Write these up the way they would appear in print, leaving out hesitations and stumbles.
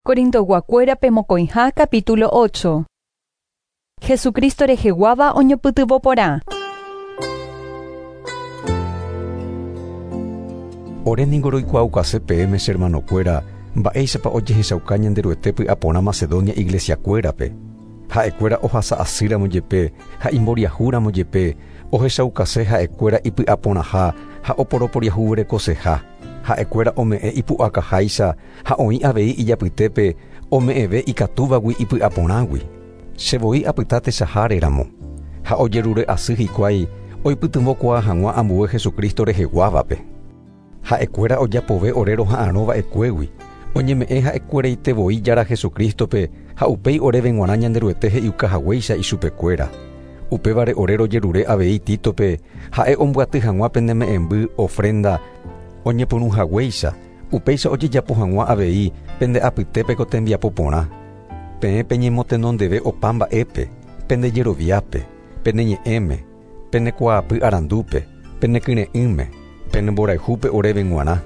Corintoguakuérape mokõiha capítulo 8. Jesucristo reheguáva oñopytyvõ porã. Ore ningo roikuaaukase peẽme che hermanokuéra mba'éichapa ojehechauka Ñanderuete py'aporã Macedonia iglesiakuérape. Ha'ekuéra ohasa asýramo jepe ha imboriahúramo jepe, ohechaukase ha'ekuéra ipy'aporãha ha oporoporiahuverekoseha. Ha'ekuéra ome'ẽ ipu'akaháicha ha oĩ avei ijapytépe ome'ẽve ikatúvagui ipy'aporãgui. Che voi apyta techahare ramo. Ha ojerure asy hikuái oipytyvõkuaa hag̃ua ambue Jesucristo reheguávape. Ha'ekuéra ojapove ore roha'arõ va'ekuégui, oñeme'ẽ ha'ekueraite voi Jára Jesucristo-pe ha upéi oréve g̃uarã Ñanderuete he'iuka haguéicha ichupekuéra. Upévare ore rojerure avei Títope ha'e ombyaty hag̃ua pene me'ẽmby, ofrenda, oñepyrũ haguéicha, upéicha ojejapo hag̃ua avei pende apytépe ko tembiapo porã. Peẽ peñemotenondeve opa mba'épe, pende jeroviápe, pene ñe'ẽme, pene kuaapy arandúpe, pene kyre'ỹme, pene mborayhúpe oréve g̃uarã,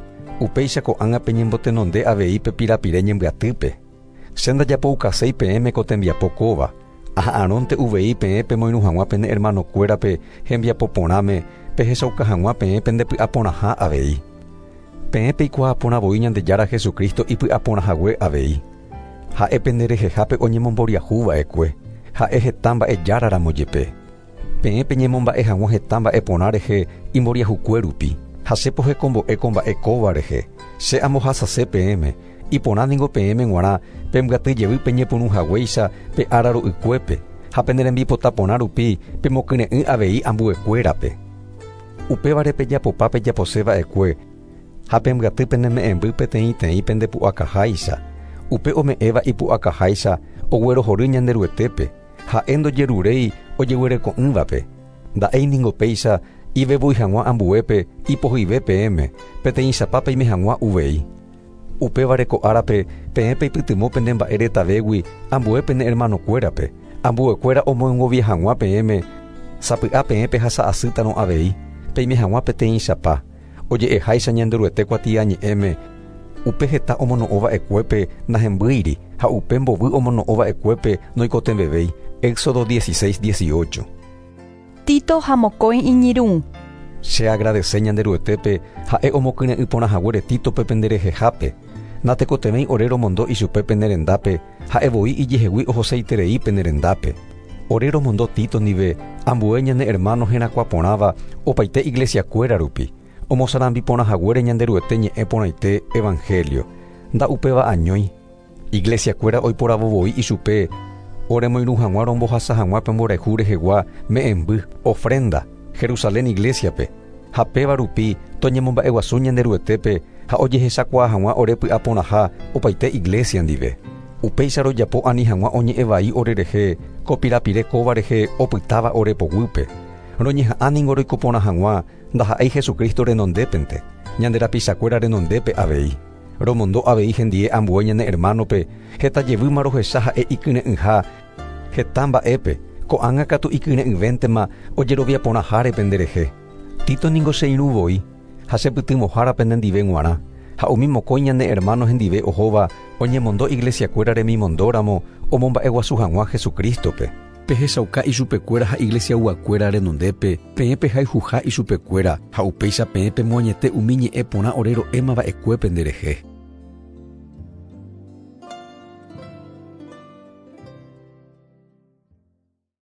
upéicha ko'ág̃a peñembotenonde avei pe pirapire ñembyatýpe. Che ndajapoukaséi peẽme ko tembiapo kóva, aha'arõnte uvei peẽ pemoirũ hag̃ua pene hermanokuérape hembiapo porãme pehechauka hag̃ua peẽ pendepy'aporãha avei. Peẽ peikuaa porã voi Ñandejára Jesucristo ipy'aporãhague avei. Ha'e pende rehehápe oñemomboriahu va'ekue, ha'e heta mba'e jára ramo jepe. Peẽ peñemomba'e hag̃ua heta mba'e porã rehe imboriahukue rupi, ha che pohekombo'e ko mba'e kóva rehe, che ambohasase peẽme, iporã ningo peẽme g̃uarã pembyaty jevy peñepyrũ haguéicha pe ára ro'ykuépe, ha pene rembipota porã rupi pemokyre'ỹ avei ambuekuérape. Upévare pejapopa pejapose va'ekue ha pembyaty pene me'ẽmby peteĩteĩ pende pu'akaháicha, upe ome'ẽva ipu'akaháicha oguerohory Ñanderuetépe, ha'e ndojeruréi ojeguereko'ỹvape. Nda'éi ningo péicha ivevúi hag̃ua ambuépe ipohyive peẽme, peteĩchapa peime hag̃ua uvei. Upévare ko árape peẽ peipytyvõ pene mba'e retavégui ambue pene hermanokuérape, ambuekuéra omoengovia hag̃ua peẽme, sapy'a peẽ pehasa asýtarõ avei, peime hag̃ua peteĩchapa, oje'eháicha Ñanderuete kuatiañe'ẽme, upe heta omono'õ va'ekuépe nahembýiri ha upe mbovy omono'õ va'ekuépe noikotevẽvéi. Éxodo 16, 18. Tito ha mokõi iñirũ. Che agradece Ñanderuetépe ha'e omokyre'ỹ porã haguére Títope pende rehehápe. Natekotevẽi ore romondo ichupe pene rendápe, ha'e voi ijehegui ohoseiterei pene rendápe. Ore romondo Tito ndive ambue ñane hermano herakuã porãva opaite iglesiakuéra rupi, omosarambi porã haguére Ñanderuete ñe'ẽ porãite evangelio. Nda'upéva añói. Iglesiakuéra oiporavo voi ichupe oremoirũ hag̃ua rombohasa hag̃ua pe mborayhu rehegua me'ẽmby, ofrenda, Jerusalén iglesia-pe, ha péva rupi toñemomba'eguasu Ñanderuetépe ha ojehechakuaa hag̃ua ore py'aporãha opaite iglesia ndive. Upéicha rojapo ani hag̃ua oñe'ẽ vai orerehe ko pirapire kóva rehe opytáva ore poguýpe. Roñeha'ã ningo roiko porã hag̃ua ndaha'éi Jesucristo renondépente, ñande rapichakuéra renondépe avei. Romondo avei hendie ambue ñane hermano-pe, heta jevýma rohecha ha'e ikyre'ỹha heta mba'épe, ko'ág̃a katu ikyre'ỹvéntema ojerovia porãháre penderehe. Tito ningo che irũ voi, ha che pytyvõhára penendive g̃uarã, ha umi mokõi ñane hermano hendive ohóva oñemondo iglesiakuéra remimondóramo omomba'eguasu hag̃ua Jesucristo-pe. Pehechauka ichupekuéra ha iglesiayguakuéra renondépe peẽ pehayhuha ichupekuéra, ha upéicha peẽ pemoañete umi ñe'ẽ porã ore ro'éma va'ekue penderehe.